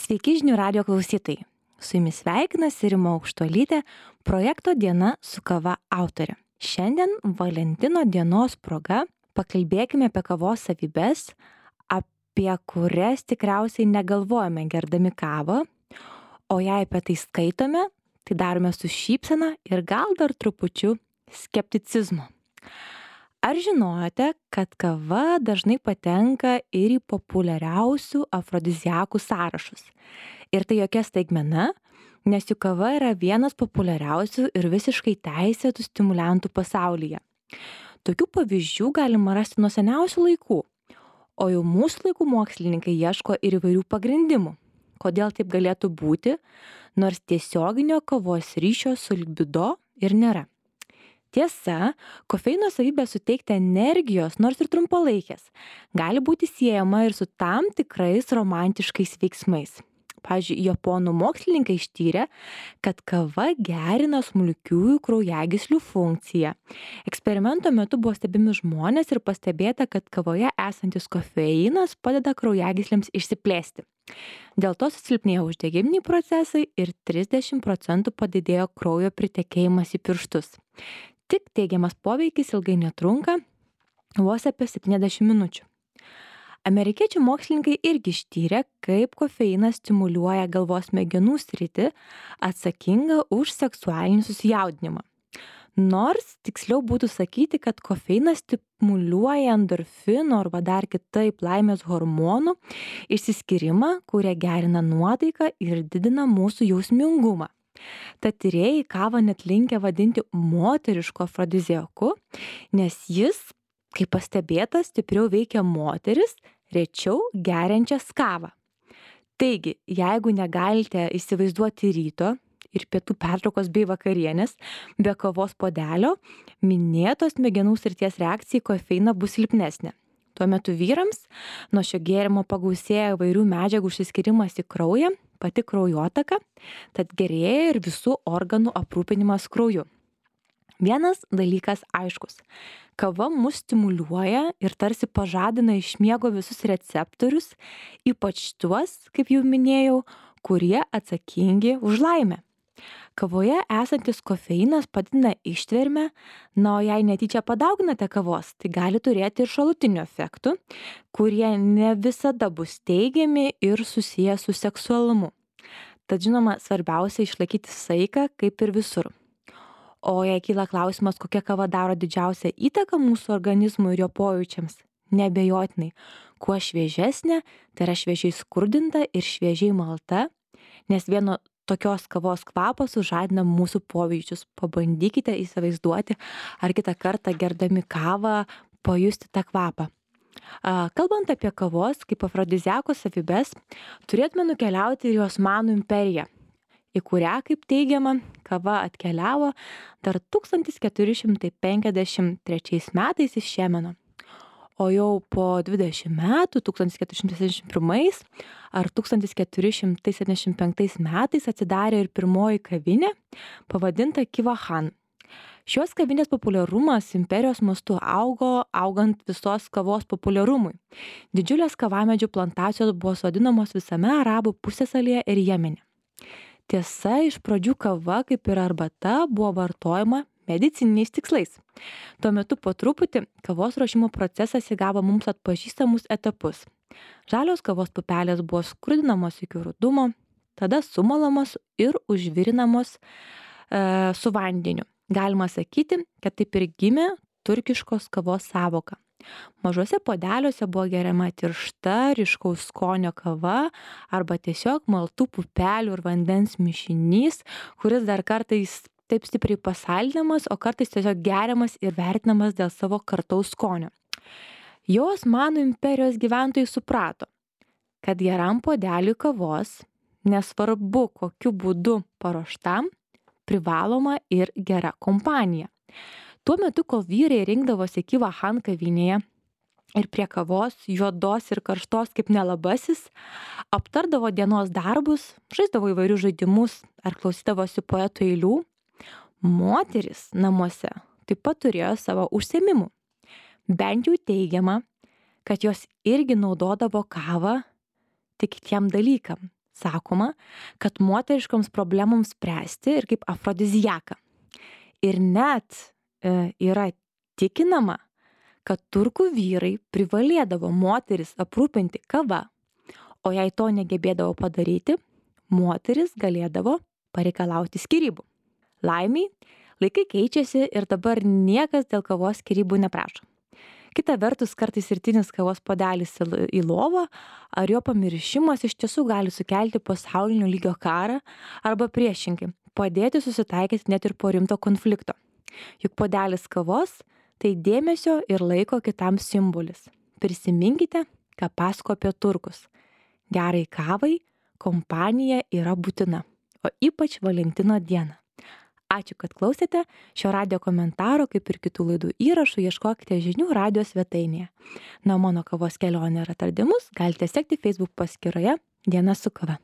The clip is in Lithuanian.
Sveiki žinių radijo klausytojai. Su jumis sveikinasi Rima Aukštuolytė, projekto Diena su kava autorė. Šiandien Valentino dienos proga pakalbėkime apie kavos savybes, apie kurias tikriausiai negalvojame gerdami kavą, o jei apie tai skaitome, tai darome su šypsena ir gal dar trupučiu skepticizmo. Ar žinojote, kad kava dažnai patenka ir į populiariausių afrodiziakų sąrašus? Ir tai jokia staigmena, nes juk kava yra vienas populiariausių ir visiškai teisėtų stimuliantų pasaulyje. Tokių pavyzdžių galima rasti nuo seniausių laikų, o jau mūsų laikų mokslininkai ieško ir įvairių pagrindimų, kodėl taip galėtų būti, nors tiesioginio kavos ryšio su libido ir nėra. Tiesa, kofeino savybė suteikti energijos, nors ir trumpalaikės, gali būti siejama ir su tam tikrais romantiškais veiksmais. Pavyzdžiui, japonų mokslininkai ištyrė, kad kava gerina smulkiųjų kraujagyslių funkciją. Eksperimento metu buvo stebimi žmonės ir pastebėta, kad kavoje esantis kofeinas padeda kraujagyslėms išsiplėsti. Dėl to susilpnėjo uždegiminiai procesai ir 30% padidėjo kraujo pritekėjimas į pirštus. Tik teigiamas poveikis ilgai netrunka, vos apie 70 minučių. Amerikiečių mokslininkai irgi ištyrė, kaip kofeinas stimuliuoja galvos smegenų sritį atsakingą už seksualinį susijaudinimą. Nors tiksliau būtų sakyti, kad kofeinas stimuliuoja endorfinų arba dar kitaip laimės hormonų išsiskyrimą, kurie gerina nuotaiką ir didina mūsų jausmingumą. Tad tyrėjai kavą net linkę vadinti moterišku afrodiziaku, nes jis, kaip pastebėta, stipriau veikia moteris, rečiau geriančias kavą. Taigi, jeigu negalite įsivaizduoti ryto ir pietų pertraukos bei vakarienės be kavos puodelio, minėtos smegenų srities reakcija į kofeiną bus silpnesnė. Tuo metu vyrams nuo šio gėrimo pagausėja įvairių medžiagų išsiskyrimas į kraują, pati kraujotaka, tad gerėja ir visų organų aprūpinimas krauju. Vienas dalykas aiškus. Kava mus stimuliuoja ir tarsi pažadina iš miego visus receptorius, ypač tuos, kaip jau minėjau, kurie atsakingi už laimę. Kavoje esantis kofeinas padidina ištvermę, o jei netyčia padauginate kavos, tai gali turėti ir šalutinių efektų, kurie ne visada bus teigiami ir susiję su seksualumu. Tad žinoma, svarbiausia išlaikyti saiką kaip ir visur. O jei kyla klausimas, kokia kava daro didžiausią įtaką mūsų organizmui ir jo pojūčiams, neabejotinai, kuo šviežesnė, tai yra šviežiai skurdinta ir šviežiai malta, nes vieno tokios kavos kvapas sužadina mūsų pojūčius. Pabandykite įsivaizduoti, ar kitą kartą gerdami kavą pajusti tą kvapą. Kalbant apie kavos kaip afrodiziako savybes, turėtume nukeliauti ir į Osmanų imperiją, į kurią, kaip teigiama, kava atkeliavo dar 1453 metais iš Jemeno. O jau po 20 metų, 1471 ar 1475 metais atsidarė ir pirmoji kavinė, pavadinta Kivahan. Šios kavinės populiarumas imperijos mastu augo, augant visos kavos populiarumui. Didžiulės kavamedžių plantacijos buvo sodinamos visame Arabų pusiasalyje ir Jemene. Tiesa, iš pradžių kava, kaip ir arbata, buvo vartojama medicininiais tikslais. Tuo metu po truputį kavos ruošimo procesas įgavo mums atpažįstamus etapus. Žalios kavos pupelės buvo skrudinamos iki rudumo, tada sumalamos ir užvirinamos su vandeniu. Galima sakyti, kad taip ir gimė turkiškos kavos sąvoka. Mažuose puodeliuose buvo geriama tiršta, ryškaus skonio kava arba tiesiog maltų pupelių ir vandens mišinys, kuris dar kartais taip stipriai pasaldinamas, o kartais tiesiog geriamas ir vertinamas dėl savo kartaus skonio. Jau Osmanų imperijos gyventojai suprato, kad geram puodeliui kavos, nesvarbu kokiu būdu paruoštam, privaloma ir gera kompanija. Tuo metu, kol vyrai rinkdavosi Kivahan kavinėje ir prie kavos, juodos ir karštos kaip nelabasis, aptardavo dienos darbus, žaisdavo įvairius žaidimus ar klausydavosi poetų eilių, moteris namuose taip pat turėjo savo užsiėmimų. Bent jau teigiama, kad jos irgi naudodavo kavą tik kitiem dalykam, sakoma, kad moteriškoms problemoms spręsti ir kaip afrodiziaką. Ir net yra tikinama, kad turkų vyrai privalėdavo moteris aprūpinti kava, o jei to negebėdavo padaryti, moteris galėdavo pareikalauti skyrybų. Laimiai, laikai keičiasi ir dabar niekas dėl kavos skyrybų neprašo. Kita vertus, kartais rytinis kavos puodelis į lovą ar jo pamiršimas iš tiesų gali sukelti pasaulinio lygio karą arba priešingai, padėti susitaikyti net ir po rimto konflikto. Juk puodelis kavos tai dėmesio ir laiko kitam simbolis. Prisiminkite, ką pasako apie turkus. Gerai kavai kompanija yra būtina, o ypač Valentino dieną. Ačiū, kad klausėte. Šio radijo komentaro, kaip ir kitų laidų įrašų, ieškokite žinių radijo svetainėje. Na, mano kavos kelionė ir atradimus galite sekti Facebook paskyroje Diena su kava.